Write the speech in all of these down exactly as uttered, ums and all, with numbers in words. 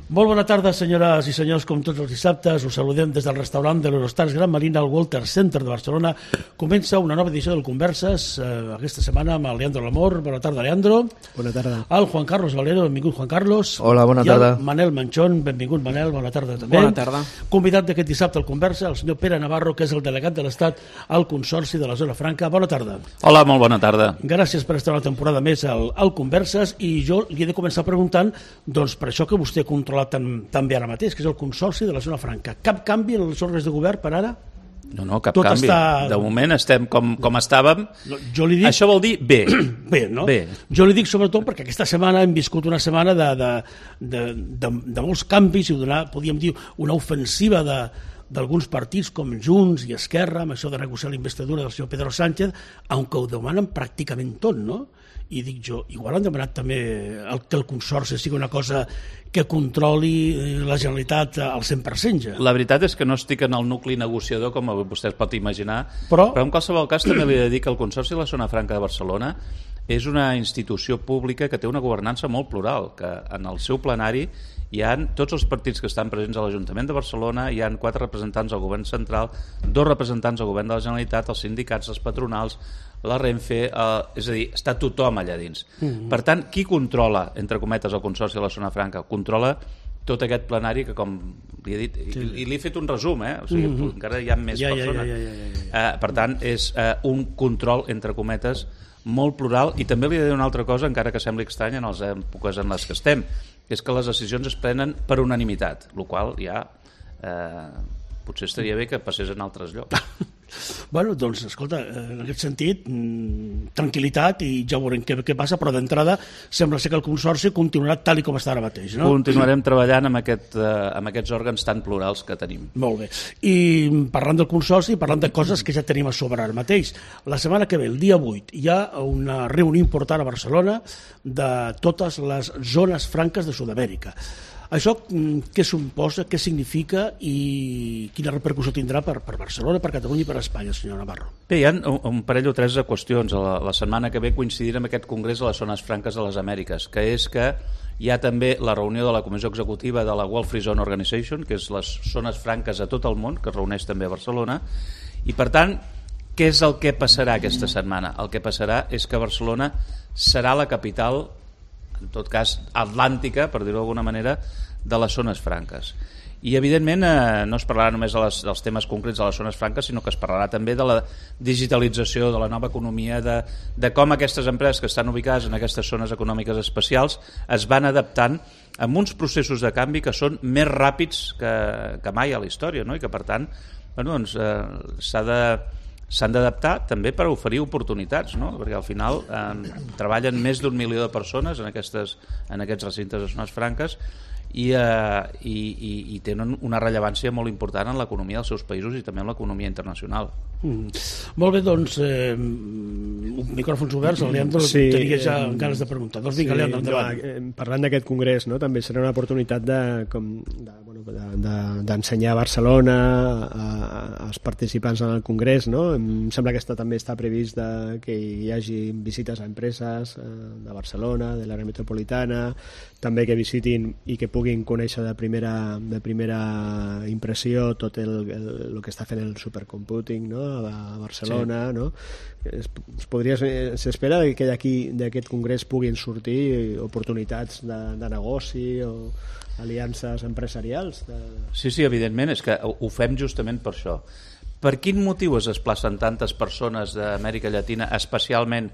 Molt bona tarda, senyores i senyors, com tots els dissabtes. Us saludem des del restaurant de l'Eurostars Gran Marina al Walter Center de Barcelona. Comença una nova edició del Converses, eh, aquesta setmana amb el Leandro Lamor. Bona tarda, Leandro. Bona tarda. El Juan Carlos Valero, benvingut, Juan Carlos. Hola, bona tarda. I el Manel Manchón, benvingut, Manel, bona tarda també. Bona tarda. Convidat d'aquest dissabte al Conversa, el senyor Pere Navarro, que és el delegat de l'Estat al Consorci de la Zona Franca. Bona tarda. Hola, molt bona tarda. Gràcies per estar una temporada més al, al Converses, i jo li he de començar preguntant, doncs, per això que vostè ha controlat tan, tan bé ara mateix, que és el Consorci de la Zona Franca. Cap canvi en els òrgans de govern per ara? No, no, cap Tot canvi. està... De moment estem com, com estàvem. No, jo li dic... Això vol dir bé. Bé, no? Bé. Jo li dic sobretot perquè aquesta setmana hem viscut una setmana de, de, de, de, de molts canvis i donar, podríem dir, una ofensiva de d'alguns partits com Junts i Esquerra, amb això de negociar la investidura del senyor Pedro Sánchez, aunque ho demanen pràcticament tot, no? I dic jo, igual han demanat també el, que el Consorci sigui una cosa que controli la Generalitat al cent per cent ja. La veritat és que no estic en el nucli negociador, com vostè es pot imaginar, però, però en qualsevol cas també li he de dir que el Consorci de la Zona Franca de Barcelona és una institució pública que té una governança molt plural, que en el seu plenari hi ha tots els partits que estan presents a l'Ajuntament de Barcelona, hi ha quatre representants al govern central, dos representants al govern de la Generalitat, els sindicats, els patronals, la Renfe, eh, és a dir, està tothom allà dins. Mm-hmm. Per tant, qui controla, entre cometes, el Consorci de la Zona Franca? Controla tot aquest plenari que, com li he dit, sí. i, i li he fet un resum, eh? O sigui, mm-hmm. encara hi ha més ja, persones. Ja, ja, ja, ja, ja. Eh, per tant, és eh, un control, entre cometes, molt plural, i també li he de dir una altra cosa, encara que sembli estrany en les èpoques en les que estem, és que les decisions es prenen per unanimitat, el qual ja eh, potser estaria bé que passés en altres llocs. Bueno, doncs, escolta, en aquest sentit, mmm, tranquil·litat, i ja veurem què, què passa, però d'entrada sembla ser que el Consorci continuarà tal i com està ara mateix, no? Continuarem treballant amb, aquest, eh, amb aquests òrgans tan plurals que tenim. Molt bé. I parlant del Consorci, parlant de coses que ja tenim a sobre ara mateix, la setmana que ve, el dia vuit, hi ha una reunió important a Barcelona de totes les zones franques de Sud-amèrica. Això què suposa, què significa i quina repercussió tindrà per, per Barcelona, per Catalunya i per Espanya, senyor Navarro? Bé, hi ha un, un parell o tres de qüestions. La, la setmana que ve coincidirà amb aquest congrés de les zones franques de les Amèriques, que és que hi ha també la reunió de la Comissió Executiva de la World Free Zone Organization, que és les zones franques a tot el món, que es reuneix també a Barcelona, i per tant, què és el que passarà aquesta setmana? El que passarà és que Barcelona serà la capital, en tot cas atlàntica, per dir-ho d'alguna manera, de les zones franques. I evidentment eh, no es parlarà només de les, dels temes concrets de les zones franques, sinó que es parlarà també de la digitalització, de la nova economia, de, de com aquestes empreses que estan ubicades en aquestes zones econòmiques especials es van adaptant amb uns processos de canvi que són més ràpids que, que mai a la història, no? I que per tant bueno, doncs, eh, s'ha de s'han d'adaptar també per oferir oportunitats, no? Perquè al final eh, treballen més d'un milió de persones en, aquestes, en aquests recintes de zones franques i, eh, i, i, i tenen una rellevància molt important en l'economia dels seus països i també en l'economia internacional. Mm. Molt bé, doncs eh, micròfons oberts, el Leandro sí, tenia ja eh, ganes de preguntar. Doncs vinga, sí, Leandro, endavant. No, eh, parlant d'aquest congrés, no, també serà una oportunitat de, com, de, bueno, de, de, d'ensenyar a Barcelona a, a, als participants en el congrés, no? Em sembla que està, també està previst de, que hi hagi visites a empreses eh, de Barcelona, de l'àrea metropolitana, també que visitin i que puguin conèixer de primera, de primera impressió tot el, el, el que està fent el supercomputing, no? A Barcelona, sí. No? Es, es podria, s'espera que d'aquí d'aquest congrés puguin sortir oportunitats de, de negoci o aliances empresarials. De... Sí, sí, evidentment, és que ho fem justament per això. Per quin motiu es desplacen tantes persones d'Amèrica Llatina, especialment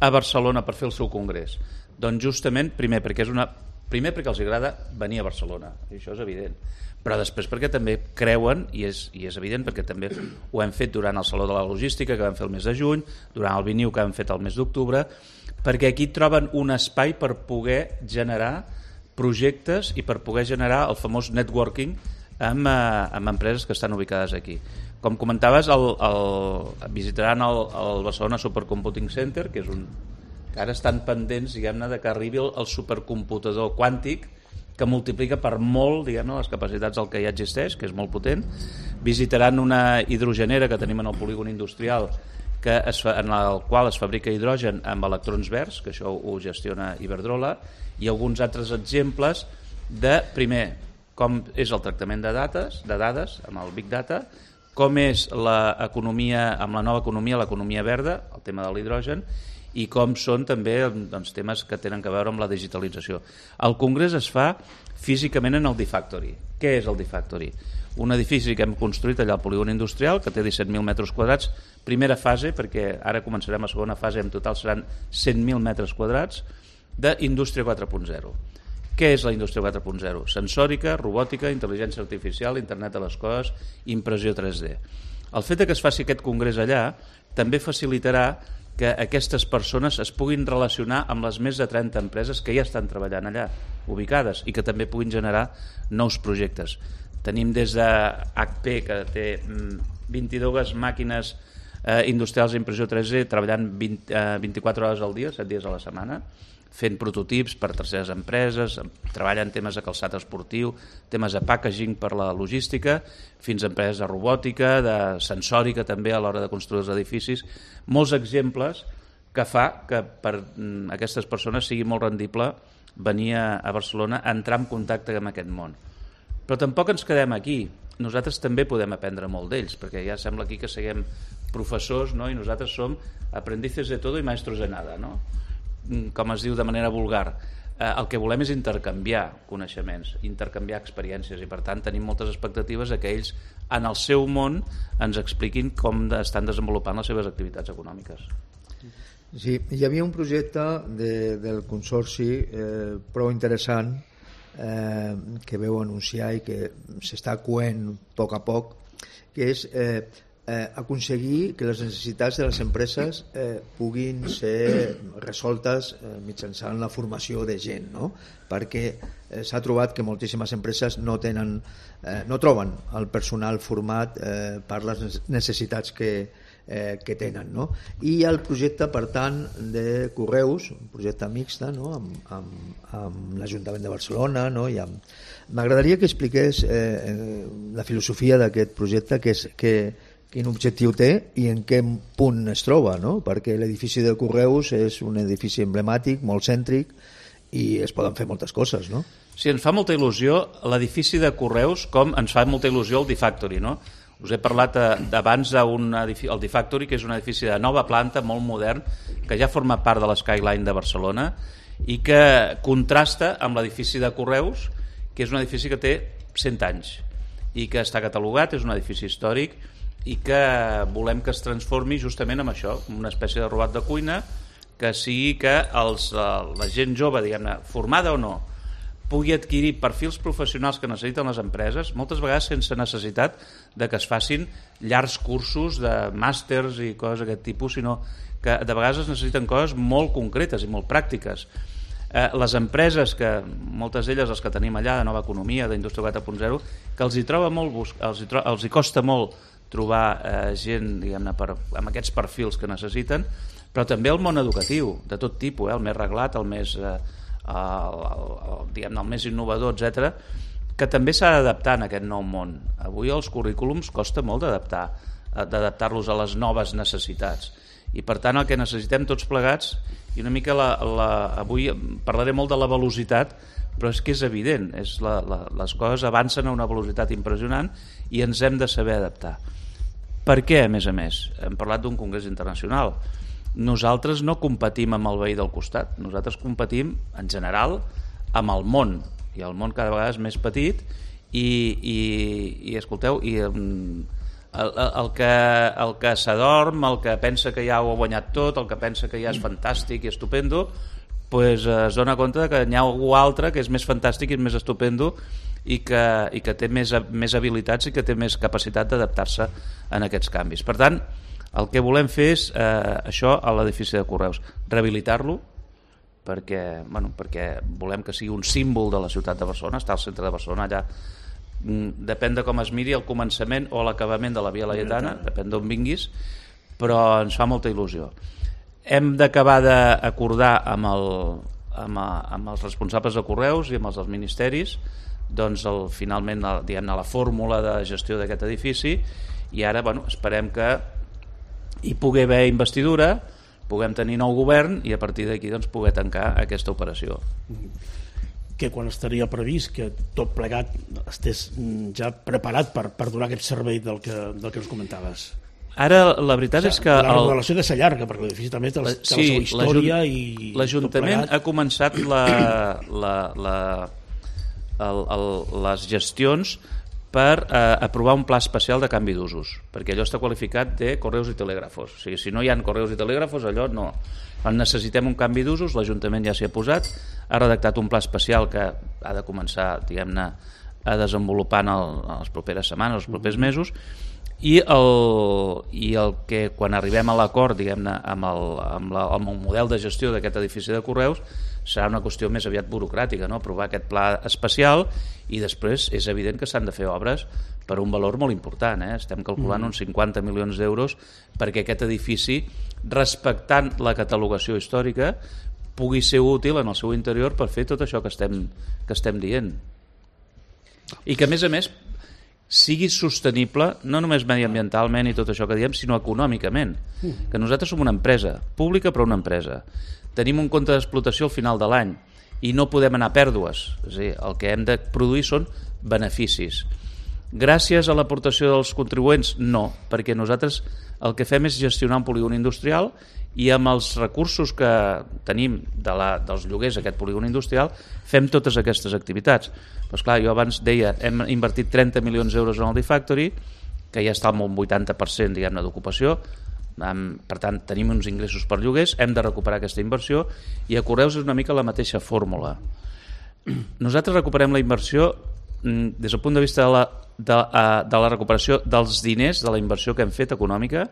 a Barcelona, per fer el seu congrés? Doncs justament, primer, perquè és una... primer perquè els agrada venir a Barcelona, i això és evident, però després perquè també creuen, i és, i és evident perquè també ho hem fet durant el Saló de la Logística que vam fer el mes de juny, durant el Viniu que vam fet el mes d'octubre, perquè aquí troben un espai per poder generar projectes i per poder generar el famós networking amb, eh, amb empreses que estan ubicades aquí. Com comentaves, el, el, visitaran el, el Barcelona Supercomputing Center, que és un que ara estan pendents, diguem-ne, de que arribi el, el supercomputador quàntic que multiplica per molt, diguem-ne, les capacitats del que ja existeix, que és molt potent. Visitaran una hidrogenera que tenim en el polígon industrial, que es fa, en el qual es fabrica hidrogen amb electrons verds, que això ho gestiona Iberdrola, i alguns altres exemples de, primer, com és el tractament de dades, de dades amb el Big Data, com és l'economia, amb la nova economia, l'economia verda, el tema de l'hidrogen, i com són també doncs, temes que tenen a veure amb la digitalització. El congrés es fa físicament en el D-Factory. Què és el D-Factory? Un edifici que hem construït allà al polígon industrial, que té disset mil metres quadrats, primera fase, perquè ara començarem la segona fase, en total seran cent mil metres quadrats, d'indústria quatre punt zero. Què és la indústria quatre punt zero? Sensòrica, robòtica, intel·ligència artificial, internet de les coses, impressió tres D. El fet que es faci aquest congrés allà també facilitarà que aquestes persones es puguin relacionar amb les més de trenta empreses que ja estan treballant allà, ubicades, i que també puguin generar nous projectes. Tenim des de H P, que té vint-i-dues màquines eh, industrials d'impressió tres D treballant vint, eh, vint-i-quatre hores al dia, set dies a la setmana, fent prototips per terceres empreses, treballen temes de calçat esportiu, temes de packaging per la logística, fins a empreses de robòtica, de sensòrica també a l'hora de construir els edificis. Molts exemples que fa que per aquestes persones sigui molt rendible venir a Barcelona a entrar en contacte amb aquest món. Però tampoc ens quedem aquí. Nosaltres també podem aprendre molt d'ells, perquè ja sembla aquí que siguem professors, no? I nosaltres som aprendices de todo i maestros de nada, no? Com es diu de manera vulgar. Eh, el que volem és intercanviar coneixements, intercanviar experiències, i per tant tenim moltes expectatives que ells en el seu món ens expliquin com estan desenvolupant les seves activitats econòmiques. Sí, hi havia un projecte de, del Consorci eh, prou interessant eh, que veu anunciar i que s'està coent a poc a poc, que és eh, eh, aconseguir que les necessitats de les empreses eh, puguin ser resoltes eh, mitjançant la formació de gent, no? Perquè eh, s'ha trobat que moltíssimes empreses no tenen, eh, no troben el personal format eh, per les necessitats que, eh, que tenen, no? I hi ha el projecte, per tant, de Correus, un projecte mixta, no? amb, amb, amb l'Ajuntament de Barcelona, no? I amb... M'agradaria que expliqués eh, la filosofia d'aquest projecte, que és que quin objectiu té i en què punt es troba, no? Perquè l'edifici de Correus és un edifici emblemàtic, molt cèntric, i es poden fer moltes coses, no? Sí, ens fa molta il·lusió l'edifici de Correus, com ens fa molta il·lusió el D-Factory, no? Us he parlat abans del D-Factory, que és un edifici de nova planta, molt modern, que ja forma part de l'Skyline de Barcelona i que contrasta amb l'edifici de Correus, que és un edifici que té cent anys i que està catalogat, és un edifici històric, i que volem que es transformi justament en això, una espècie de robot de cuina, que sigui que els, la gent jove, diguem-ne, formada o no, pugui adquirir perfils professionals que necessiten les empreses, moltes vegades sense necessitat de que es facin llargs cursos de màsters i coses d'aquest tipus, sinó que de vegades es necessiten coses molt concretes i molt pràctiques. Eh, les empreses, que moltes d'elles les que tenim allà, de nova economia, d'indústria quatre punt zero, que els hi troba molt buscar, els hi, tro els hi costa molt trobar eh, gent, diguem-ne, per, amb aquests perfils que necessiten, però també el món educatiu, de tot tipus, eh, el més reglat, el més, eh, el, el, el, diguem-ne, el més innovador, etcètera, que també s'ha d'adaptar en aquest nou món. Avui els currículums costa molt d'adaptar, d'adaptar-los a les noves necessitats. I per tant el que necessitem tots plegats, i una mica la, la, avui parlaré molt de la velocitat, però és que és evident, és la, la, les coses avancen a una velocitat impressionant i ens hem de saber adaptar. Per què, a més a més? Hem parlat d'un congrés internacional. Nosaltres no competim amb el veí del costat, nosaltres competim, en general, amb el món, i el món cada vegada és més petit, i, i, i escolteu, i el, el, el que, el que s'adorm, el que pensa que ja ho ha guanyat tot, el que pensa que ja és fantàstic i estupendo, pues es dona compte que hi ha algú altre que és més fantàstic i és més estupendo i que, i que té més, més habilitats i que té més capacitat d'adaptar-se en aquests canvis. Per tant, el que volem fer és eh, això a l'edifici de Correus, rehabilitar-lo, perquè, bueno, perquè volem que sigui un símbol de la ciutat de Barcelona, està al centre de Barcelona, allà depèn de com es miri el començament o l'acabament de la Via Laietana, depèn d'on vinguis, però ens fa molta il·lusió. Hem d'acabar d'acordar amb, el, amb, amb els responsables de Correus i amb els dels ministeris doncs el, finalment diguem-ne la fórmula de gestió d'aquest edifici, i ara bueno, esperem que hi pugui haver investidura, puguem tenir nou govern i a partir d'aquí doncs, poder tancar aquesta operació. que quan estaria previst que tot plegat estés ja preparat per, per donar aquest servei del que, del que ens comentaves? Ara, la veritat o sigui, és que... La remodelació de ser llarga, perquè l'edifici també té la, té sí, la seva història i... L'Ajuntament ha començat la, la, la, el, el, les gestions per eh, aprovar un pla especial de canvi d'usos, perquè allò està qualificat de correus i telègrafos. O sigui, si no hi ha correus i telègrafos, allò no. Quan necessitem un canvi d'usos, l'Ajuntament ja s'hi ha posat, ha redactat un pla especial que ha de començar, diguem-ne, a desenvolupar en, el, en les properes setmanes, els propers mesos, i el, i el que quan arribem a l'acord, diguem-ne, amb, el, amb, la, amb el model de gestió d'aquest edifici de correus, serà una qüestió més aviat burocràtica, no? Aprovar aquest pla especial, i després és evident que s'han de fer obres per un valor molt important, eh? Estem calculant mm. uns cinquanta milions d'euros perquè aquest edifici, respectant la catalogació històrica, pugui ser útil en el seu interior per fer tot això que estem, que estem dient. I que, a més a més, sigui sostenible, no només mediambientalment i tot això que diem, sinó econòmicament. Mm. Que nosaltres som una empresa, pública però una empresa. Tenim un compte d'explotació al final de l'any i no podem anar a pèrdues. És a dir, el que hem de produir són beneficis. Gràcies a l'aportació dels contribuents, no, perquè nosaltres el que fem és gestionar un polígon industrial i amb els recursos que tenim de la, dels lloguers d'aquest polígon industrial fem totes aquestes activitats. Però esclar, jo abans deia, hem invertit trenta milions d'euros en el D-Factory, que ja està amb un vuitanta per cent, diguem-ne, d'ocupació. Per tant, tenim uns ingressos per lloguers, hem de recuperar aquesta inversió, i a Correus és una mica la mateixa fórmula. Nosaltres recuperem la inversió des del punt de vista de la, de, de la recuperació dels diners, de la inversió que hem fet econòmica,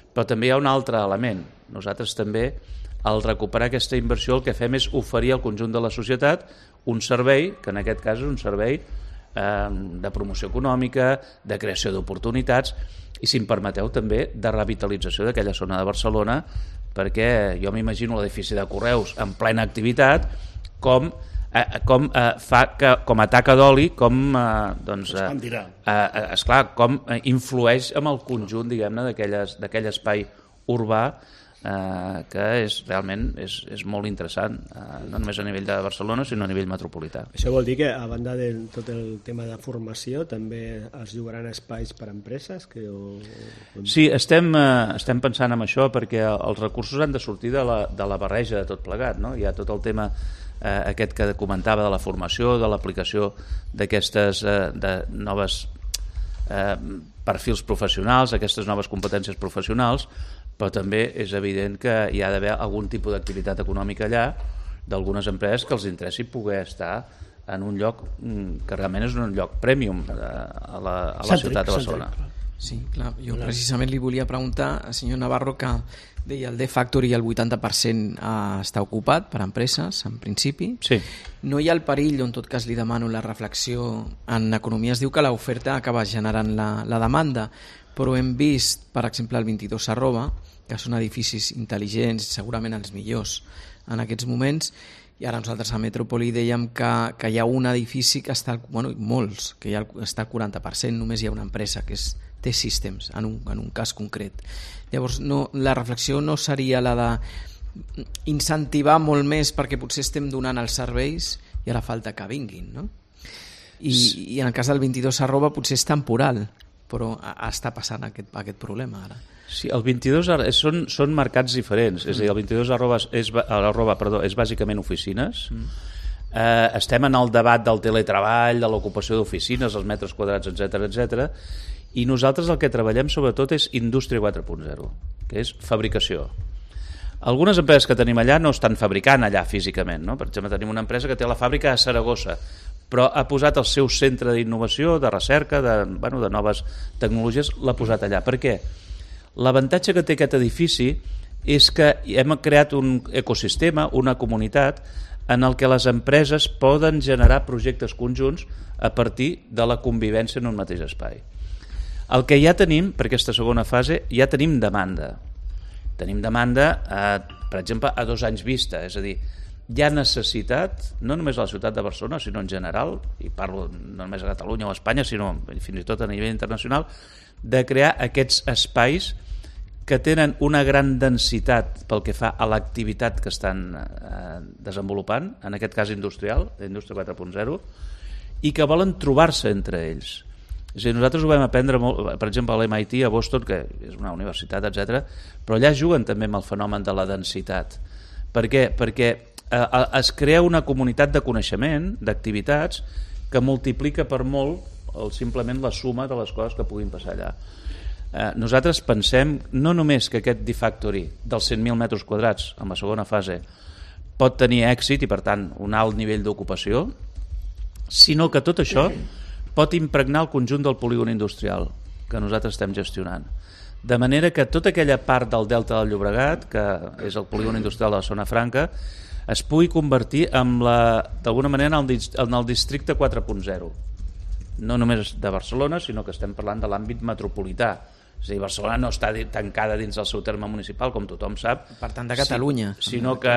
però també hi ha un altre element. Nosaltres també, al recuperar aquesta inversió, el que fem és oferir al conjunt de la societat un servei, que en aquest cas és un servei eh, de promoció econòmica, de creació d'oportunitats, i, si em permeteu, també de revitalització d'aquella zona de Barcelona, perquè jo m'imagino l'edifici de Correus en plena activitat, com, eh, com eh, fa que, com a taca d'oli, com eh, doncs, eh, eh, esclar, com eh, influeix amb el conjunt, diguem-ne, d'aquell espai urbà, eh, que és realment és, és molt interessant, eh, no només a nivell de Barcelona, sinó a nivell metropolità. Això vol dir que, a banda de tot el tema de formació, també es llogaran espais per a empreses? Que, o... Sí, estem, eh, estem pensant en això, perquè els recursos han de sortir de la, de la barreja de tot plegat, no? Hi ha tot el tema eh, aquest que comentava de la formació, de l'aplicació d'aquestes eh, de noves eh, perfils professionals, aquestes noves competències professionals, però també és evident que hi ha d'haver algun tipus d'activitat econòmica allà d'algunes empreses que els interessi poder estar en un lloc que realment és un lloc premium a la, a la ciutat de Barcelona. Sí, clar. Jo precisament li volia preguntar al senyor Navarro, que deia el D-Factory el vuitanta per cent està ocupat per empreses, en principi. Sí. No hi ha el perill, o en tot cas li demano la reflexió, en economia es diu que l'oferta acaba generant la, la demanda, però hem vist, per exemple, el vint-i-dos arroba, que són edificis intel·ligents, segurament els millors en aquests moments, i ara nosaltres a Metrópoli dèiem que, que hi ha un edifici que està, bueno, molts, que ja està al quaranta per cent, només hi ha una empresa que és T-Systems, en un, en un cas concret. Llavors, no, la reflexió no seria la de incentivar molt més perquè potser estem donant els serveis i ara falta que vinguin, no? I, i en el cas del vint-i-dos arroba potser és temporal, però està passant aquest, aquest problema ara. Sí, el vint-i-dos són, són mercats diferents, mm. és a dir, el vint-i-dos arroba és, arroba, perdó, és bàsicament oficines. Mm. Eh, estem en el debat del teletreball, de l'ocupació d'oficines, els metres quadrats, etcètera, etcètera, i nosaltres el que treballem sobretot és indústria quatre punt zero, que és fabricació. Algunes empreses que tenim allà no estan fabricant allà físicament, no? Per exemple, tenim una empresa que té la fàbrica a Saragossa, però ha posat el seu centre d'innovació, de recerca, de, bueno, de noves tecnologies, l'ha posat allà. Per què? L'avantatge que té aquest edifici és que hem creat un ecosistema, una comunitat, en el que les empreses poden generar projectes conjunts a partir de la convivència en un mateix espai. El que ja tenim, per aquesta segona fase, ja tenim demanda. Tenim demanda, eh, per exemple, a dos anys vista, és a dir, hi ha necessitat, no només a la ciutat de Barcelona, sinó en general, i parlo no només a Catalunya o a Espanya, sinó fins i tot a nivell internacional, de crear aquests espais que tenen una gran densitat pel que fa a l'activitat que estan eh, desenvolupant, en aquest cas industrial, d'Indústria quatre punt zero, i que volen trobar-se entre ells. És a dir, nosaltres ho vam aprendre molt, per exemple, a l'M I T, a Boston, que és una universitat, etcètera, però allà juguen també amb el fenomen de la densitat. Per què? Perquè eh, es crea una comunitat de coneixement, d'activitats, que multiplica per molt el, simplement la suma de les coses que puguin passar allà. Eh, nosaltres pensem no només que aquest D-Factory dels cent mil metres quadrats en la segona fase pot tenir èxit i per tant un alt nivell d'ocupació, sinó que tot això pot impregnar el conjunt del polígon industrial que nosaltres estem gestionant. De manera que tota aquella part del Delta del Llobregat, que és el polígon industrial de la Zona Franca, es pugui convertir d'alguna manera en el, en el districte quatre punt zero. No només de Barcelona, sinó que estem parlant de l'àmbit metropolità. És a dir, Barcelona no està tancada dins del seu terme municipal, com tothom sap. Per tant, de Catalunya. Si, sinó que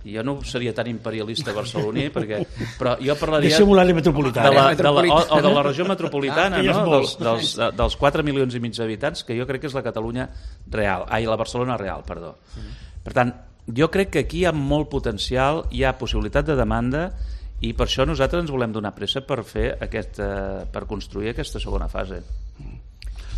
jo no seria tan imperialista barceloní, perquè, però jo parlaria deixem l'àrea metropolitana. De la, de la, o, o de la regió metropolitana, ah, no? dels, dels, dels quatre milions i mig d'habitants, que jo crec que és la Catalunya real, ai, la Barcelona real, perdó. Per tant, jo crec que aquí hi ha molt potencial, hi ha possibilitat de demanda, i per això nosaltres ens volem donar pressa per fer aquesta, per construir aquesta segona fase.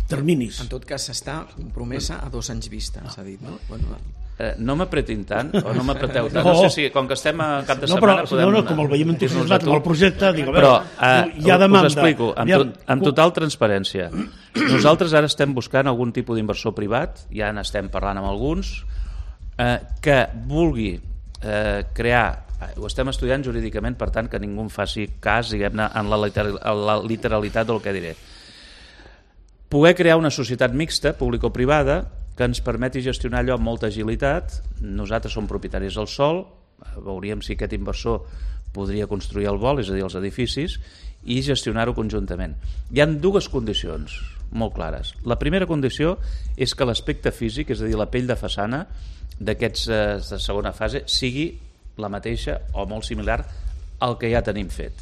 Terminis. En tot cas, s'està compromesa a dos anys vista, s'ha dit, no? Bueno, eh, no m'apretin tant, o no m'apreteu tant. No. No sé si, com que estem a cap de no, setmana... Però, podem, no, no, com el veiem entusiasmat amb el projecte, dic, a veure, però eh, hi ha demanda. Us explico, amb, tot, amb total transparència. Nosaltres ara estem buscant algun tipus d'inversor privat, ja n'estem parlant amb alguns, eh, que vulgui eh, crear, ho estem estudiant jurídicament, per tant que ningú en faci cas, diguem-ne, en la, literal, en la literalitat del que diré. Poder crear una societat mixta, público-privada, que ens permeti gestionar allò amb molta agilitat. Nosaltres som propietaris del sòl, veuríem si aquest inversor podria construir el vol, és a dir, els edificis, i gestionar-ho conjuntament. Hi ha dues condicions molt clares. La primera condició és que l'aspecte físic, és a dir, la pell de façana d'aquests eh, de segona fase, sigui la mateixa o molt similar al que ja tenim fet.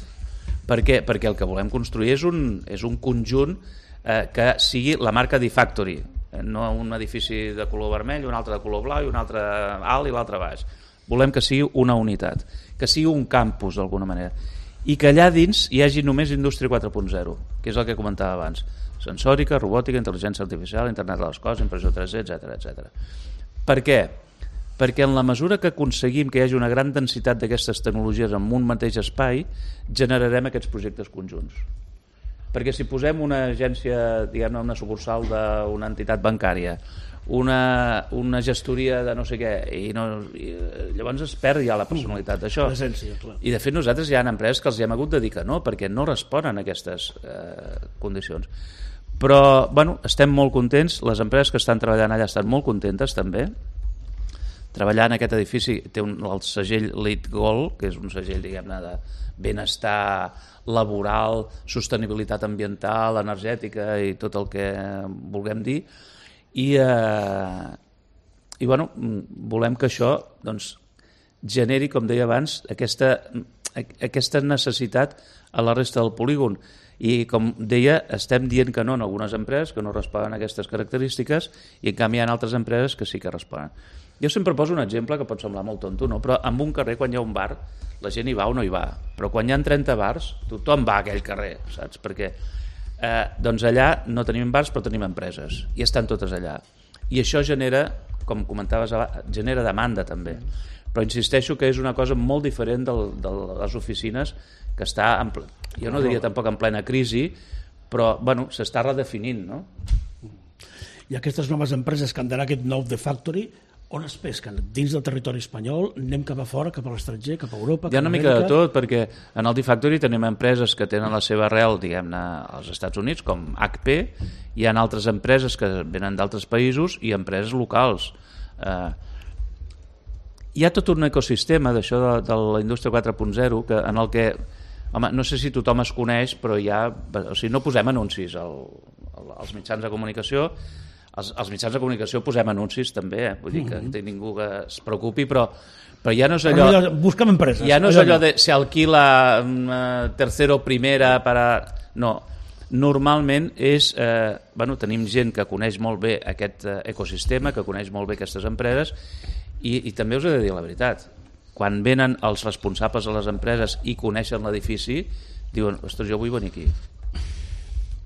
Per què? Perquè el que volem construir és un, és un conjunt eh, que sigui la marca D-Factory, no un edifici de color vermell, un altre de color blau i un altre alt i l'altre baix. Volem que sigui una unitat, que sigui un campus d'alguna manera, i que allà dins hi hagi només Indústria quatre punt zero, que és el que comentava abans: sensòrica, robòtica, intel·ligència artificial, internet de les coses, impressió tres D, etcètera, etcètera. Per què? Perquè en la mesura que aconseguim que hi hagi una gran densitat d'aquestes tecnologies en un mateix espai, generarem aquests projectes conjunts. Perquè si posem una agència, diguem-ne, una sucursal d'una entitat bancària, una, una gestoria de no sé què, i, no, i llavors es perd ja la personalitat d'això. I de fet nosaltres hi ha empreses que els hi hem hagut de dir que no, perquè no responen a aquestes eh, condicions. Però, bueno, estem molt contents, les empreses que estan treballant allà estan molt contentes també. Treballar en aquest edifici té un, el segell LEED Gold, que és un segell, diguem-ne, de benestar laboral, sostenibilitat ambiental, energètica i tot el que vulguem dir. I, eh, i bueno, volem que això doncs, generi, com deia abans, aquesta, aquesta necessitat a la resta del polígon. I, com deia, estem dient que no en algunes empreses que no responen a aquestes característiques, i en canvi hi ha altres empreses que sí que responen. Jo sempre poso un exemple que pot semblar molt tonto, no? Però en un carrer, quan hi ha un bar, la gent hi va o no hi va. Però quan hi ha trenta bars, tothom va a aquell carrer, saps? Perquè eh, doncs allà no tenim bars, però tenim empreses, i estan totes allà. I això genera, com comentaves abans, genera demanda també. Però insisteixo que és una cosa molt diferent del, de les oficines, que està, en ple... jo no diria tampoc en plena crisi, però bueno, s'està redefinint, no? I aquestes noves empreses que han d'anar aquest nou The Factory, on es pesquen? Dins del territori espanyol? Anem cap a fora, cap a l'estranger, cap a Europa? Hi ha una mica de tot, perquè en el D-Factory tenim empreses que tenen la seva arrel, diguem-ne, als Estats Units, com H P, hi ha altres empreses que venen d'altres països i empreses locals. Eh, hi ha tot un ecosistema d'això de, de la indústria quatre punt zero que, en el que, home, no sé si tothom es coneix, però hi ha, o sigui, no posem anuncis al, al, als mitjans de comunicació. Els, els mitjans de comunicació posem anuncis també, eh? Vull dir que mm-hmm. ningú que es preocupi, però, però ja no és allò... Però busquem empreses. Ja no és allò de se alquila una tercera o primera per a... No, normalment és, eh, bueno, tenim gent que coneix molt bé aquest eh, ecosistema, que coneix molt bé aquestes empreses, i, i també us he de dir la veritat, quan venen els responsables de les empreses i coneixen l'edifici, diuen, ostres, jo vull venir aquí.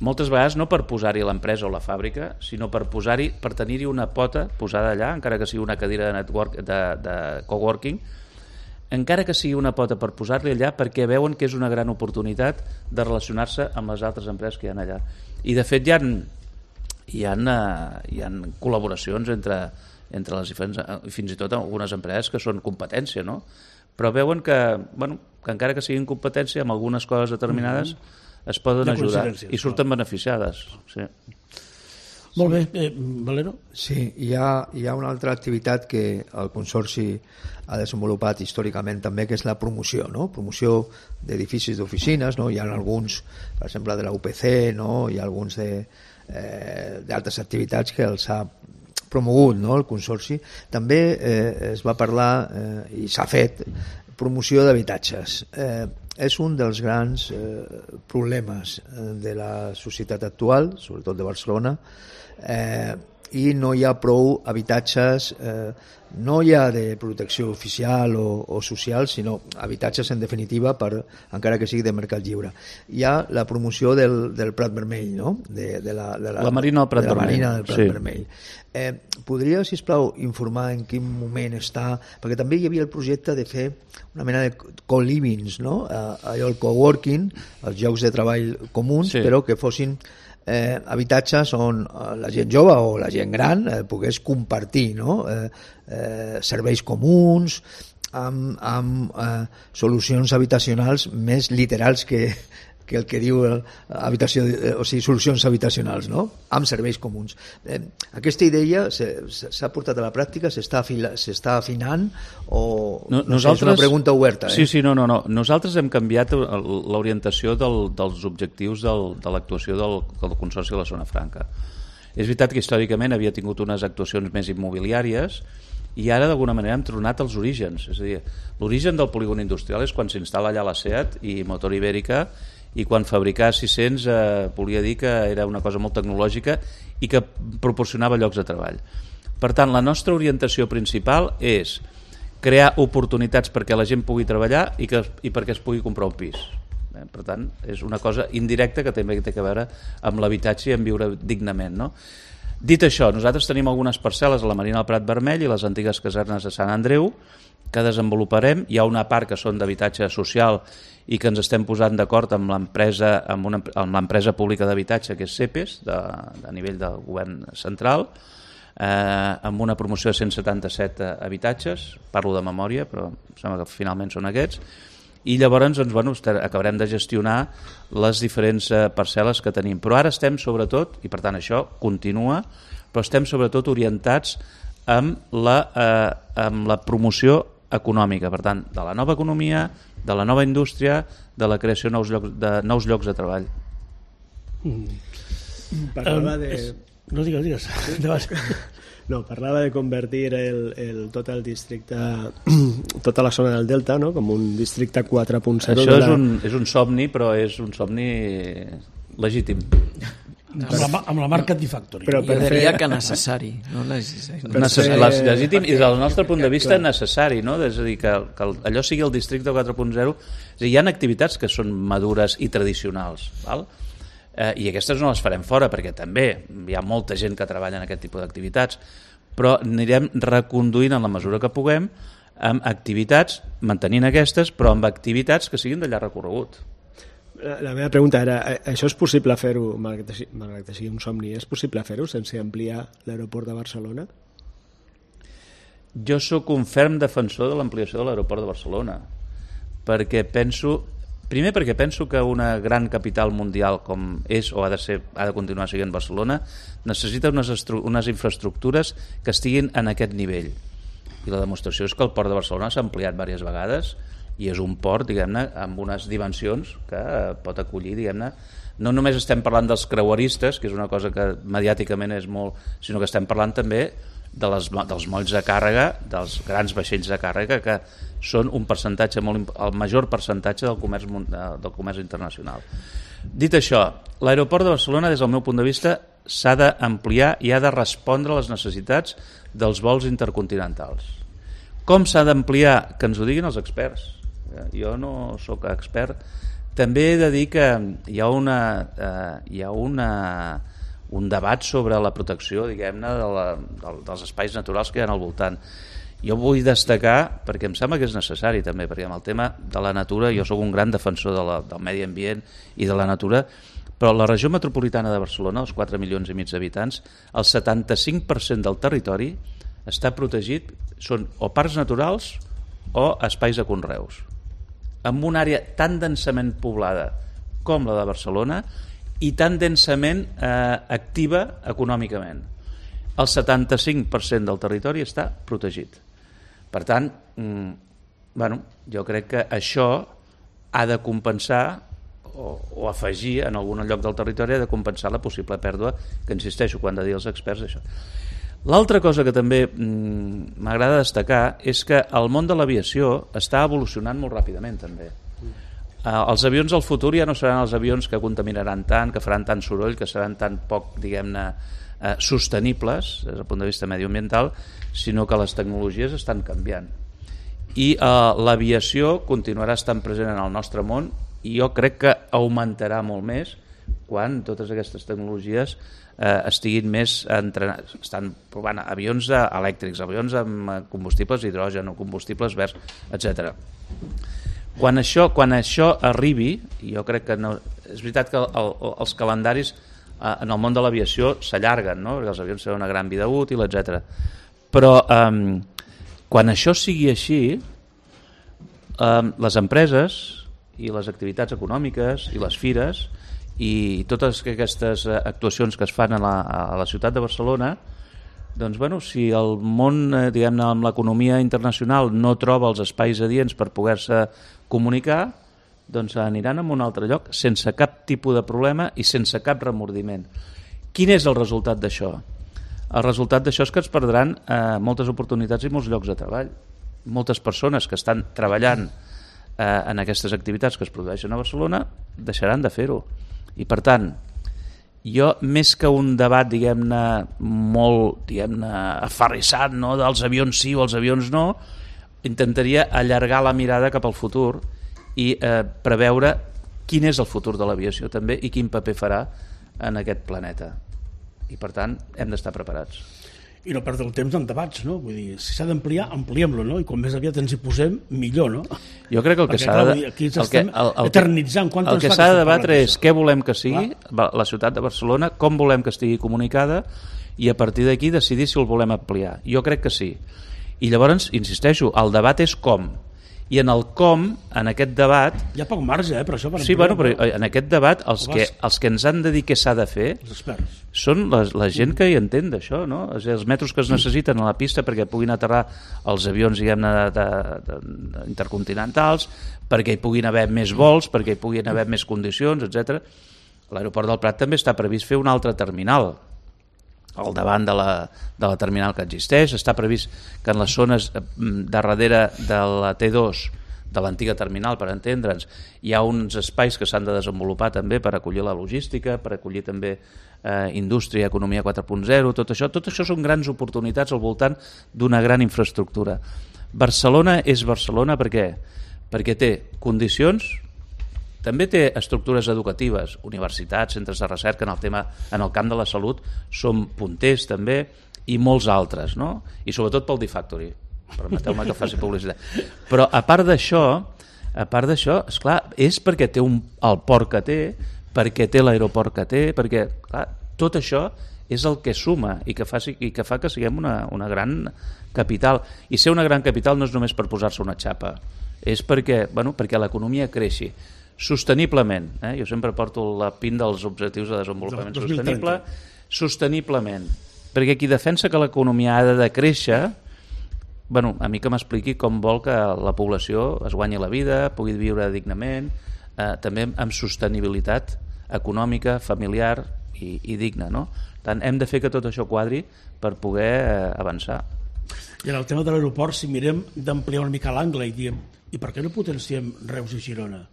Moltes vegades no per posar-hi l'empresa o la fàbrica, sinó per posar-hi, per tenir-hi una pota posada allà, encara que sigui una cadira de, network, de, de coworking, encara que sigui una pota per posar-li allà, perquè veuen que és una gran oportunitat de relacionar-se amb les altres empreses que hi ha allà. I de fet hi ha, hi ha, hi ha col·laboracions entre, entre les diferents, fins i tot algunes empreses que són competència, no? Però veuen que, bueno, que encara que siguin competència, amb algunes coses determinades, mm-hmm. es poden de ajudar i surten beneficiades. Sí. Molt bé, eh, Valero? Sí, hi ha, hi ha una altra activitat que el Consorci ha desenvolupat històricament també, que és la promoció, no? Promoció d'edificis d'oficines, no? Hi ha alguns, per exemple, de la U P C, no? Hi ha alguns d'altres eh, activitats que els ha promogut, no? El Consorci. També eh, es va parlar eh, i s'ha fet promoció d'habitatges. Eh, és un dels grans eh, problemes de la societat actual, sobretot de Barcelona, eh, i no hi ha prou habitatges, eh, no hi ha de protecció oficial o, o social, sinó habitatges en definitiva, per, encara que sigui de mercat lliure. Hi ha la promoció del, del Prat Vermell, no? de, de, la, de la, la Marina del Prat de la Vermell. Marina del Prat sí. Vermell. Eh, podria, sisplau, informar en quin moment està, perquè també hi havia el projecte de fer una mena de co-livings, no? Eh, allò, el coworking, els llocs de treball comuns, sí. però que fossin eh, habitatges on la gent jove o la gent gran eh, pogués compartir, no? eh, eh, serveis comuns, amb, amb eh, solucions habitacionals més literals que, que el que diu el, habitació, eh, o sigui, solucions habitacionals, no? Amb serveis comuns. Eh, aquesta idea s'ha portat a la pràctica, s'està afinant o no, no sé, és una pregunta oberta. Eh? Sí, sí, no, no, no. Nosaltres hem canviat l'orientació del, dels objectius del, de l'actuació del, del Consorci de la Zona Franca. És veritat que històricament havia tingut unes actuacions més immobiliàries i ara d'alguna manera hem tornat als orígens. És a dir, l'origen del polígon industrial és quan s'instal·la allà la SEAT i Motor Ibèrica, i quan fabricar sis-cents eh, volia dir que era una cosa molt tecnològica i que proporcionava llocs de treball. Per tant, la nostra orientació principal és crear oportunitats perquè la gent pugui treballar i, que, i perquè es pugui comprar un pis. Eh? Per tant, és una cosa indirecta que també té a veure amb l'habitatge i amb viure dignament. No? Dit això, nosaltres tenim algunes parcel·les a la Marina del Prat Vermell i les antigues casernes de Sant Andreu que desenvoluparem. Hi ha una part que són d'habitatge social i que ens estem posant d'acord amb l'empresa amb, una, amb l'empresa pública d'habitatge que és CEPES, de, de nivell del govern central, eh, amb una promoció de cent setanta-set habitatges, parlo de memòria però sembla que finalment són aquests, i llavors doncs, bueno, acabarem de gestionar les diferents parcel·les que tenim. Però ara estem sobretot, i per tant això continua, però estem sobretot orientats amb la, eh, amb la promoció econòmica, per tant, de la nova economia, de la nova indústria, de la creació de nous llocs de, nous llocs de treball. Mm. Parlava de... No digues, digues. No, parlava de convertir el, el, tot el districte, tota la zona del Delta, no? Com un districte quatre punt zero. Això de la... és, un, és un somni, però és un somni legítim. Amb la, amb la marca Factory. Però per jo diria fer... que necessari, no necessari. Necess... Fer... Legítim i del nostre punt de vista necessari, no? És a dir, que, que allò sigui el districte quatre punt zero. És a dir, hi ha activitats que són madures i tradicionals, val? Eh, i aquestes no les farem fora perquè també hi ha molta gent que treballa en aquest tipus d'activitats, però anirem reconduint en la mesura que puguem amb activitats, mantenint aquestes, però amb activitats que siguin de llarg recorregut. La meva pregunta era, això és possible fer-ho, malgrat que sigui un somni, és possible fer-ho sense ampliar l'aeroport de Barcelona? Jo sóc un ferm defensor de l'ampliació de l'aeroport de Barcelona, perquè penso, primer perquè penso que una gran capital mundial com és o ha de ser, ha de continuar sent Barcelona, necessita unes, unes infraestructures que estiguin en aquest nivell. I la demostració és que el port de Barcelona s'ha ampliat diverses vegades i és un port, diguem-ne, amb unes dimensions que pot acollir, diguem-ne, no només estem parlant dels creueristes, que és una cosa que mediàticament és molt, sinó que estem parlant també de les, dels molls de càrrega, dels grans vaixells de càrrega, que són un percentatge molt, el major percentatge del comerç, del comerç internacional. Dit això, l'aeroport de Barcelona, des del meu punt de vista, s'ha d'ampliar i ha de respondre a les necessitats dels vols intercontinentals. Com s'ha d'ampliar? Que ens ho diguin els experts. Jo no sóc expert. També he de dir que hi ha, una, eh, hi ha una, un debat sobre la protecció, diguem-ne, de la, de, dels espais naturals que hi ha al voltant. Jo vull destacar, perquè em sembla que és necessari també, perquè amb el tema de la natura, jo sóc un gran defensor de la, del medi ambient i de la natura, però la regió metropolitana de Barcelona, els quatre milions i mig d'habitants, el setanta-cinc per cent del territori està protegit, són o parcs naturals o espais de conreus, amb una àrea tan densament poblada com la de Barcelona i tan densament eh, activa econòmicament. El setanta-cinc per cent del territori està protegit. Per tant, mm, bueno, jo crec que això ha de compensar o, o afegir en algun lloc del territori, ha de compensar la possible pèrdua, que insisteixo, quan de dir els experts això. L'altra cosa que també mm, m'agrada destacar és que el món de l'aviació està evolucionant molt ràpidament també. Eh, els avions del futur ja no seran els avions que contaminaran tant, que faran tant soroll, que seran tan poc, diguem-ne, eh, sostenibles des del punt de vista mediambiental, sinó que les tecnologies estan canviant. I eh, l'aviació continuarà estant present en el nostre món i jo crec que augmentarà molt més quan totes aquestes tecnologies eh, estiguin més entrenats. Estan provant avions elèctrics, avions amb combustibles d'hidrogen o combustibles verds, etcètera. Quan això, quan això arribi, jo crec que no, és veritat que el, el, els calendaris eh, en el món de l'aviació s'allarguen, no? Perquè els avions tenen una gran vida útil, etcètera. Però eh, quan això sigui així, eh, les empreses i les activitats econòmiques i les fires i totes aquestes actuacions que es fan a la, a la ciutat de Barcelona, doncs, bueno, si el món, eh, diguem-ne, amb l'economia internacional no troba els espais adients per poder-se comunicar, doncs aniran a un altre lloc sense cap tipus de problema i sense cap remordiment. Quin és el resultat d'això? El resultat d'això és que es perdran eh, moltes oportunitats i molts llocs de treball. Moltes persones que estan treballant eh, en aquestes activitats que es produeixen a Barcelona deixaran de fer-ho. I per tant, jo més que un debat, diguem-ne, molt, diguem-ne, aferrissat, no?, dels avions sí o els avions no, intentaria allargar la mirada cap al futur i eh, preveure quin és el futur de l'aviació també i quin paper farà en aquest planeta. I per tant, hem d'estar preparats. I no perdre el temps en debats, no? Vull dir, si s'ha d'ampliar, ampliem-lo, no? I com més aviat ens hi posem, millor, no? Jo crec que el que s'ha de... Aquí ens estem eternitzant. El que s'ha de debatre és què volem que sigui la ciutat de Barcelona, com volem que estigui comunicada i a partir d'aquí decidir si el volem ampliar. Jo crec que sí. I llavors, insisteixo, el debat és com. I en el com, en aquest debat... Hi ha poc marge, eh, per això. Per sí, bueno, però en aquest debat els que, els que ens han de dir què s'ha de fer són la, la gent que hi entén d'això, no? És els metros que es necessiten a la pista perquè puguin aterrar els avions, diguem-ne, de, de, de, intercontinentals, perquè hi puguin haver més vols, perquè hi puguin haver més condicions, etcètera. A l'aeroport del Prat també està previst fer un altre terminal al davant de la, de la terminal que existeix. Està previst que en les zones de darrere de la T dos, de l'antiga terminal, per entendre'ns, hi ha uns espais que s'han de desenvolupar també per acollir la logística, per acollir també eh, indústria, economia quatre punt zero, tot això. Tot això són grans oportunitats al voltant d'una gran infraestructura. Barcelona és Barcelona per què? Perquè té condicions, també té estructures educatives, universitats, centres de recerca en el tema, en el camp de la salut, són punters també, i molts altres, no? I sobretot pel D-Factory, permeteu-me que faci publicitat. Però a part d'això, a part d'això, esclar, és perquè té un, el port que té, perquè té l'aeroport que té, perquè, clar, tot això és el que suma i que fa, i que, fa que siguem una, una gran capital. I ser una gran capital no és només per posar-se una xapa, és perquè, bueno, perquè l'economia creixi sosteniblement, eh? Jo sempre porto la pin dels objectius de desenvolupament sostenible, sosteniblement, perquè qui defensa que l'economia ha de créixer bueno, a mi que m'expliqui com vol que la població es guanyi la vida, pugui viure dignament, eh, també amb sostenibilitat econòmica, familiar i, i digna, no? Tant hem de fer que tot això quadri per poder eh, avançar. I en el tema de l'aeroport, si mirem d'ampliar una mica l'angle i diem, i per què no potenciem Reus i Girona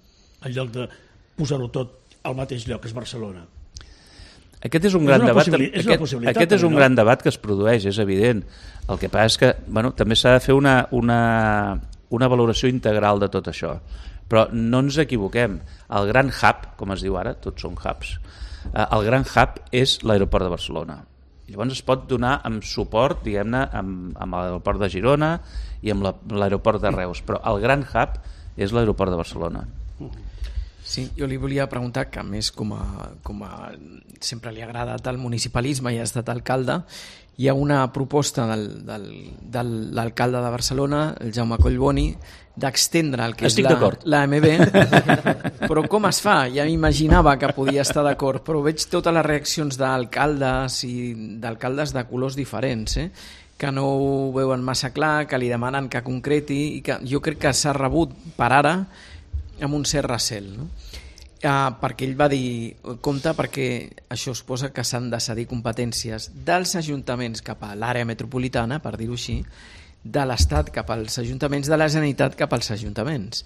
en lloc de posar-ho tot al mateix lloc, que és Barcelona? Aquest és un gran és debat, és aquest, aquest és un no? gran debat que es produeix, és evident. El que passa és que bueno, també s'ha de fer una, una, una valoració integral de tot això. Però no ens equivoquem. El gran hub, com es diu ara, tots són hubs, eh, el gran hub és l'aeroport de Barcelona. Llavors es pot donar amb suport, diguem-ne, amb, amb l'aeroport de Girona i amb l'aeroport de Reus, però el gran hub és l'aeroport de Barcelona. Sí, jo li volia preguntar, que a més com a, com a sempre li ha agradat el municipalisme i ha estat alcalde, hi ha una proposta del, del, de l'alcalde de Barcelona, el Jaume Collboni, d'extendre el que Estic és la, la M B, però com es fa? Ja m'imaginava que podia estar d'acord, però veig totes les reaccions d'alcaldes i d'alcaldes de colors diferents, eh? que no ho veuen massa clar, que li demanen que concreti, i que jo crec que s'ha rebut per ara amb un cert recel, no? Uh, perquè ell va dir, compte, perquè això suposa que s'han de cedir competències dels ajuntaments cap a l'àrea metropolitana, per dir-ho així, de l'Estat cap als ajuntaments, de la Generalitat cap als ajuntaments.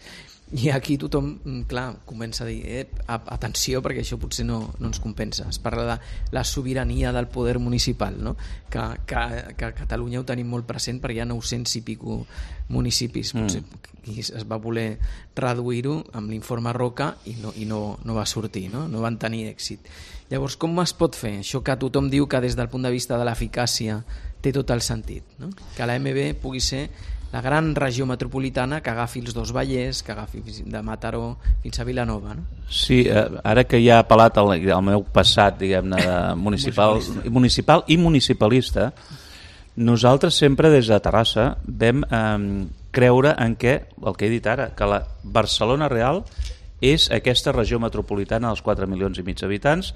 I aquí tothom, clar, comença a dir eh, atenció, perquè això potser no, no ens compensa. Es parla de la sobirania del poder municipal, no? que, que, que a Catalunya ho tenim molt present, perquè hi ha nou-cents i pico municipis, potser, mm. i es va voler reduir-ho amb l'informe Roca i, no, i no, no va sortir, no? no van tenir èxit. Llavors, com es pot fer això que tothom diu que des del punt de vista de l'eficàcia té tot el sentit, no? Que la M B pugui ser la gran regió metropolitana que agafi els dos Vallès, que agafi de Mataró fins a Vilanova, no? Sí, eh, ara que ja ha apel·lat el, el meu passat, diguem-ne, de municipal, municipal i municipalista, nosaltres sempre des de Terrassa vam eh, creure en què, el que he dit ara, que la Barcelona real és aquesta regió metropolitana dels quatre milions i mig d'habitants,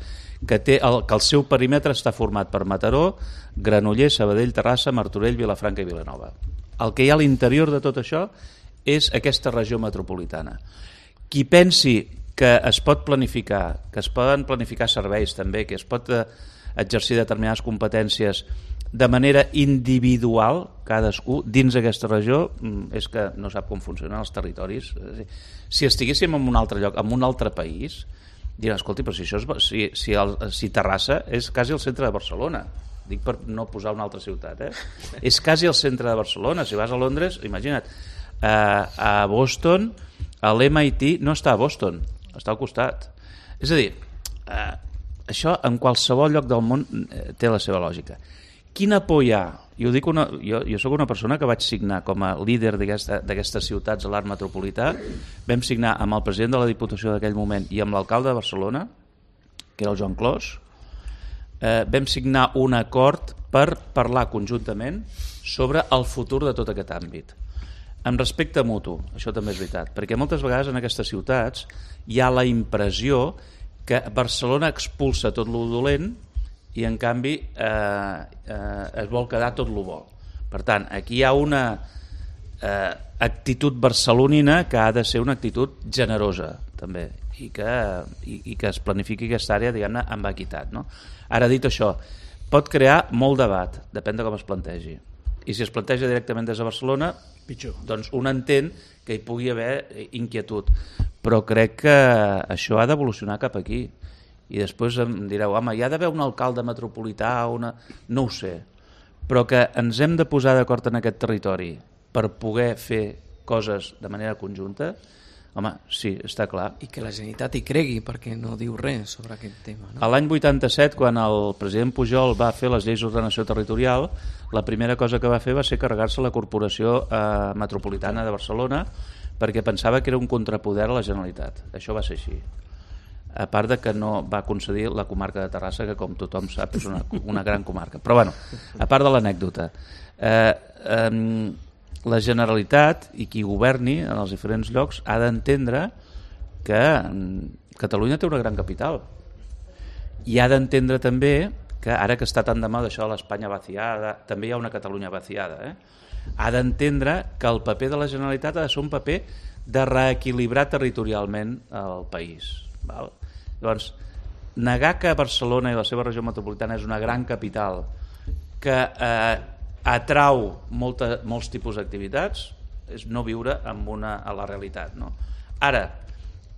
que, té el, que el seu perímetre està format per Mataró, Granollers, Sabadell, Terrassa, Martorell, Vilafranca i Vilanova. El que hi ha a l'interior de tot això és aquesta regió metropolitana. Qui pensi que es pot planificar, que es poden planificar serveis també, que es pot exercir determinades competències de manera individual, cadascú, dins d'aquesta regió, és que no sap com funcionen els territoris. Si estiguéssim en un altre lloc, en un altre país, diran, escolti, però si, això és, si, si, el, si Terrassa és quasi el centre de Barcelona, dic per no posar una altra ciutat, eh? És quasi el centre de Barcelona. Si vas a Londres, imagina't, eh, a Boston, l'M I T no està a Boston, està al costat. És a dir, eh, això en qualsevol lloc del món eh, té la seva lògica. Quina por hi ha? Jo, dic una, jo, jo soc una persona que vaig signar com a líder d'aquestes ciutats a l'art metropolità. Vam signar amb el president de la Diputació d'aquell moment i amb l'alcalde de Barcelona, que era el Joan Clos. Eh, vam signar un acord per parlar conjuntament sobre el futur de tot aquest àmbit. Amb respecte mutu, això també és veritat, perquè moltes vegades en aquestes ciutats hi ha la impressió que Barcelona expulsa tot lo dolent i en canvi eh, eh, es vol quedar tot lo bo. Per tant, aquí hi ha una eh, actitud barcelonina que ha de ser una actitud generosa també, i que, i, i que es planifiqui aquesta àrea, diguem-ne, amb equitat, no? Ara, dit això, pot crear molt debat, depèn de com es plantegi. I si es planteja directament des de Barcelona, pitjor. Doncs un entén que hi pugui haver inquietud. Però crec que això ha d'evolucionar cap aquí. I després em direu, home, hi ha d'haver un alcalde metropolità, una... no ho sé. Però que ens hem de posar d'acord en aquest territori per poder fer coses de manera conjunta, home, sí, està clar. I que la Generalitat hi cregui, perquè no diu res sobre aquest tema, no? L'any vuitanta-set, quan el president Pujol va fer les lleis d'ordenació territorial, la primera cosa que va fer va ser carregar-se la Corporació eh, Metropolitana de Barcelona, perquè pensava que era un contrapoder a la Generalitat. Això va ser així. A part de que no va concedir la comarca de Terrassa, que com tothom sap és una, una gran comarca. Però bueno, a part de l'anècdota, eh, eh, la Generalitat i qui governi en els diferents llocs ha d'entendre que Catalunya té una gran capital i ha d'entendre també que ara que està tan de moda això de l'Espanya vaciada, també hi ha una Catalunya vaciada, eh? ha d'entendre que el paper de la Generalitat ha de ser un paper de reequilibrar territorialment el país. Val? Llavors, negar que Barcelona i la seva regió metropolitana és una gran capital que eh, atrau molta, molts tipus d'activitats és no viure amb una, a la realitat. No? Ara,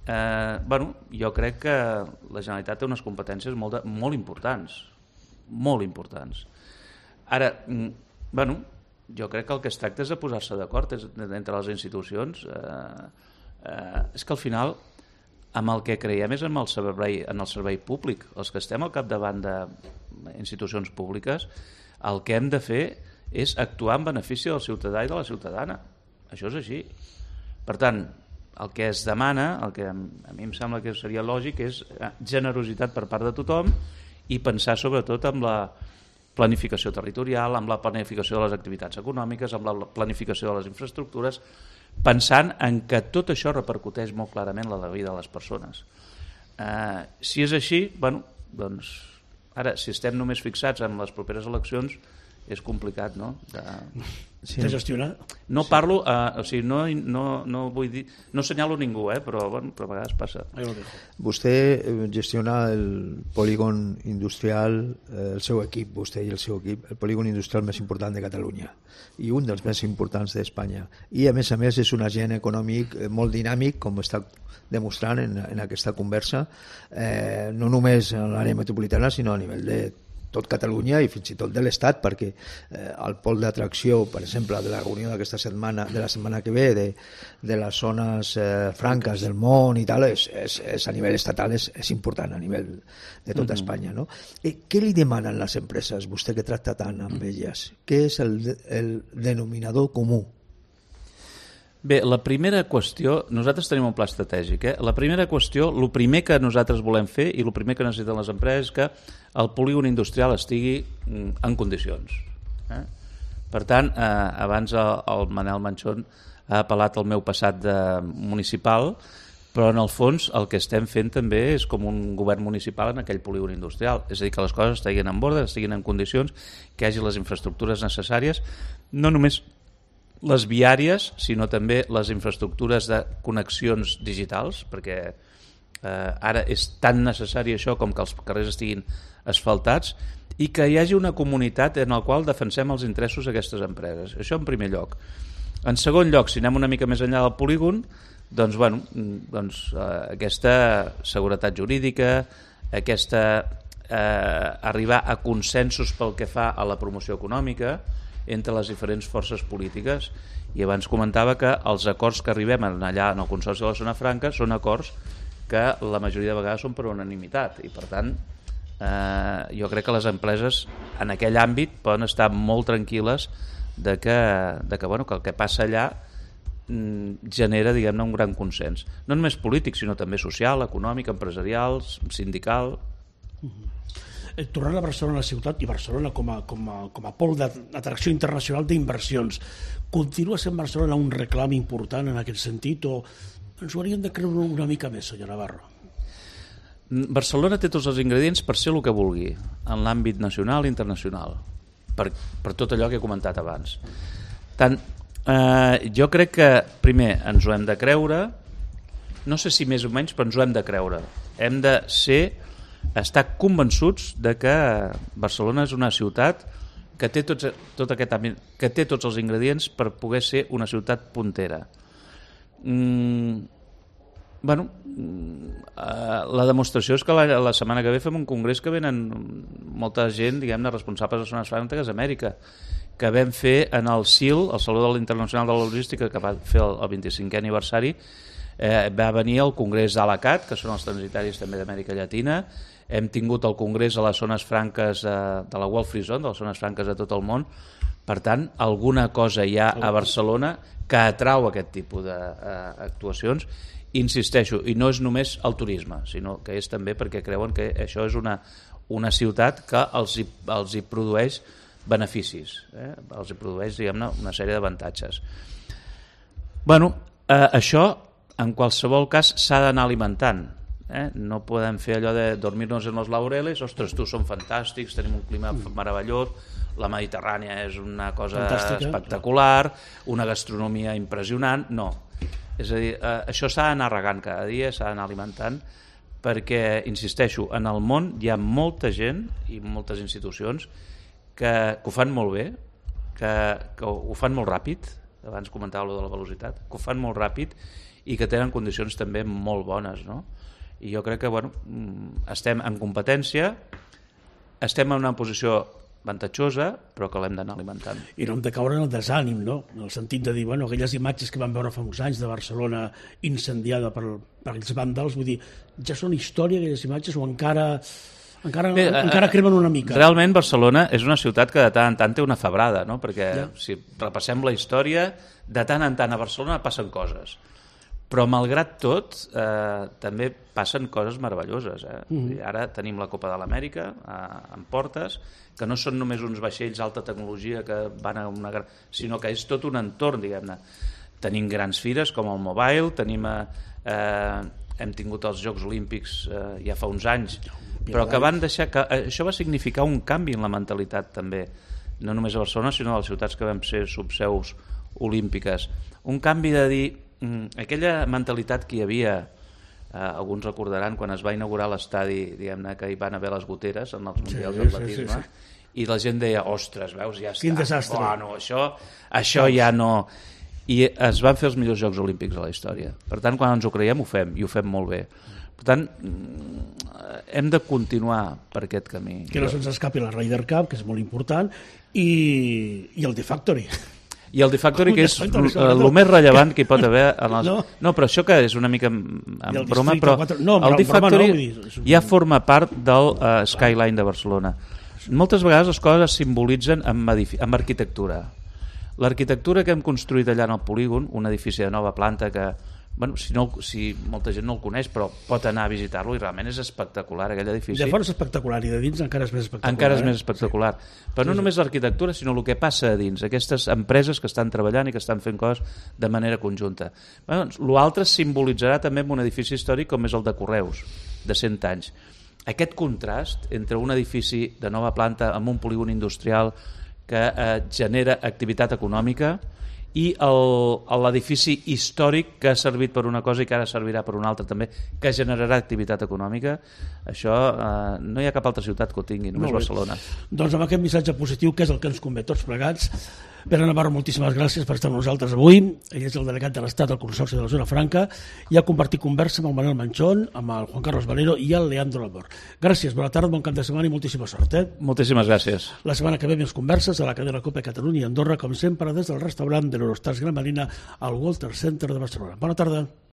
eh, bueno, jo crec que la Generalitat té unes competències molt, de, molt importants, molt importants. Ara, bueno, jo crec que el que es tracta és de posar-se d'acord entre les institucions. Eh, eh, és que al final amb el que creiem és en el servei, en el servei públic. Els que estem al capdavant d'institucions públiques, el que hem de fer és actuar en benefici del ciutadà i de la ciutadana. Això és així. Per tant, el que es demana, el que a mi em sembla que seria lògic, és generositat per part de tothom i pensar sobretot en la planificació territorial, amb la planificació de les activitats econòmiques, amb la planificació de les infraestructures, pensant en que tot això repercuteix molt clarament en la vida de les persones. Eh, si és així, bueno, doncs, ara, si estem només fixats en les properes eleccions, és complicat, no?, de, sí. de gestionar. No parlo, eh, o sigui, no, no, no vull dir, no senyalo ningú, eh, però, bueno, però a vegades passa. Vostè gestiona el polígon industrial, eh, el seu equip, vostè i el seu equip, el polígon industrial més important de Catalunya i un dels més importants d'Espanya. I, a més a més, és un agent econòmic molt dinàmic, com està demostrant en, en aquesta conversa, eh, no només a l'àrea metropolitana, sinó a nivell de tot Catalunya i fins i tot de l'Estat, perquè eh, el pol d'atracció, per exemple, de la reunió d'aquesta setmana, de la setmana que ve, de, de les zones eh, franques del món i tal, és, és, és a nivell estatal és, és important, a nivell de tota mm-hmm. Espanya. No? Eh, què li demanen les empreses, vostè que tracta tant amb elles? Què és el, el denominador comú? Bé, la primera qüestió, nosaltres tenim un pla estratègic, eh? La primera qüestió, el primer que nosaltres volem fer i el primer que necessiten les empreses és que el polígon industrial estigui en condicions. Eh? Per tant, eh, abans el, el Manel Manchón ha apel·lat al meu passat de municipal, però en el fons el que estem fent també és com un govern municipal en aquell polígon industrial, és a dir, que les coses estiguin en ordre, estiguin en condicions, que hi hagi les infraestructures necessàries, no només les viàries, sinó també les infraestructures de connexions digitals, perquè eh, ara és tan necessari això com que els carrers estiguin asfaltats i que hi hagi una comunitat en la qual defensem els interessos d'aquestes empreses. Això en primer lloc. En segon lloc, si anem una mica més enllà del polígon, doncs, bueno, doncs eh, aquesta seguretat jurídica, aquesta eh, arribar a consensos pel que fa a la promoció econòmica entre les diferents forces polítiques, i abans comentava que els acords que arribem allà en el Consorci de la Zona Franca són acords que la majoria de vegades són per unanimitat, i per tant eh, jo crec que les empreses en aquell àmbit poden estar molt tranquil·les de que, de que, bueno, que el que passa allà mm, genera, diguem-ne, un gran consens, no només polític sinó també social, econòmic, empresarial, sindical. Uh-huh. Tornant a Barcelona, la ciutat, i Barcelona com a, com a, com a pol d'atracció internacional d'inversions, continua sent Barcelona un reclam important en aquest sentit, o ens ho hauríem de creure una mica més, senyor Navarro? Barcelona té tots els ingredients per ser el que vulgui en l'àmbit nacional i internacional, per, per tot allò que he comentat abans. Tant, eh, jo crec que primer ens ho hem de creure, no sé si més o menys, però ens ho hem de creure. Hem de ser estar convençuts de que Barcelona és una ciutat que té tots, tot aquest, que té tots els ingredients per poder ser una ciutat puntera. Mm, bueno, la demostració és que la, la setmana que ve fem un congrés que venen molta gent, diguem-ne, responsables de zones franques d'Amèrica, que vam fer en el S I L, el Saló Internacional de la Logística, que va fer el, el vint-i-cinquè aniversari. Eh, va venir el Congrés d'Alacat, que són els transitaris també d'Amèrica Llatina. Hem tingut el Congrés a les zones franques eh, de la World Free Zone, de les zones franques de tot el món. Per tant, alguna cosa hi ha a Barcelona que atrau aquest tipus d'actuacions. Insisteixo, i no és només el turisme, sinó que és també perquè creuen que això és una, una ciutat que els hi, els hi produeix beneficis, eh? Els hi produeix, diguem-ne, una sèrie d'avantatges. Bueno, eh, això en qualsevol cas s'ha d'anar alimentant, eh? No podem fer allò de dormir-nos en los laureles, ostres, tu són fantàstics, tenim un clima meravellós, la Mediterrània és una cosa fantàstica, espectacular, una gastronomia impressionant. No, és a dir, eh, això s'ha d'anar regant cada dia, s'ha d'anar alimentant, perquè, insisteixo, en el món hi ha molta gent i moltes institucions que, que ho fan molt bé, que, que ho fan molt ràpid, abans comentava allò de la velocitat, que ho fan molt ràpid i que tenen condicions també molt bones, no? I jo crec que, bueno, estem en competència, estem en una posició avantatjosa, però que l'hem d'anar alimentant. I no hem de caure en el desànim, no? En el sentit de dir, bueno, aquelles imatges que vam veure fa uns anys de Barcelona incendiada per, per aquells vàndals, vull dir, ja són història aquelles imatges o encara... Encara, Bé, encara cremen una mica. Realment Barcelona és una ciutat que de tant en tant té una febrada, no? Perquè ja. Si repassem la història, de tant en tant a Barcelona passen coses. Però malgrat tot, eh, també passen coses meravelloses. Eh? Mm-hmm. Ara tenim la Copa de l'Amèrica eh, en portes, que no són només uns vaixells d'alta tecnologia que van a una gran... sinó que és tot un entorn, diguem-ne. Tenim grans fires com el Mobile, tenim... Eh, hem tingut els Jocs Olímpics eh, ja fa uns anys, però que van deixar que això va significar un canvi en la mentalitat també, no només a Barcelona sinó a les ciutats que vam ser subseus olímpiques, un canvi de dir mm, aquella mentalitat que hi havia, eh, alguns recordaran quan es va inaugurar l'estadi, diguem-ne, que hi van haver les goteres en els mundials sí, d'atletisme, sí, sí, sí. I la gent deia, ostres, veus, ja està, quin desastre, bueno, això, això ja no... I es van fer els millors Jocs Olímpics a la història. Per tant, quan ens ho creiem, ho fem, i ho fem molt bé. Per tant, hem de continuar per aquest camí. Que no se'ns escapi la Ryder Cup, que és molt important, i, i el The Factory. I el The Factory, que és el més rellevant que hi pot haver en els... No. no, però això que és una mica en broma, però quatre... no, el The Factory no, dir, ja forma part del uh, Skyline de Barcelona. Moltes vegades les coses es simbolitzen amb, edific... amb arquitectura. L'arquitectura que hem construït allà en el polígon, un edifici de nova planta que, bueno, si, no, si molta gent no el coneix, però pot anar a visitar-lo i realment és espectacular aquell edifici. De fora és espectacular i de dins encara és més espectacular. Encara és eh? més espectacular. Sí. Però no sí, només sí. l'arquitectura, sinó el que passa a dins, aquestes empreses que estan treballant i que estan fent coses de manera conjunta. Bueno, doncs, l'altre simbolitzarà també un edifici històric com és el de Correus, de cent anys. Aquest contrast entre un edifici de nova planta amb un polígon industrial que eh, genera activitat econòmica i l'edifici històric que ha servit per una cosa i que ara servirà per una altra també, que generarà activitat econòmica, això eh, no hi ha cap altra ciutat que ho tingui, només Barcelona. Doncs amb aquest missatge positiu, que és el que ens convé tots plegats, Pere Navarro, moltíssimes gràcies per estar amb nosaltres avui. Ell és el delegat de l'Estat del Consorci de la Zona Franca i ha compartit conversa amb el Manuel Manchón, amb el Juan Carlos Valero i el Leandro Labor. Gràcies, bona tarda, bon cap de setmana i moltíssima sort. Eh? Moltíssimes gràcies. La setmana que ve més converses a la cadena Copa Catalunya i Andorra, com sempre, des del restaurant de l'Eurostars Gran Marina al Walter Center de Barcelona. Bona tarda.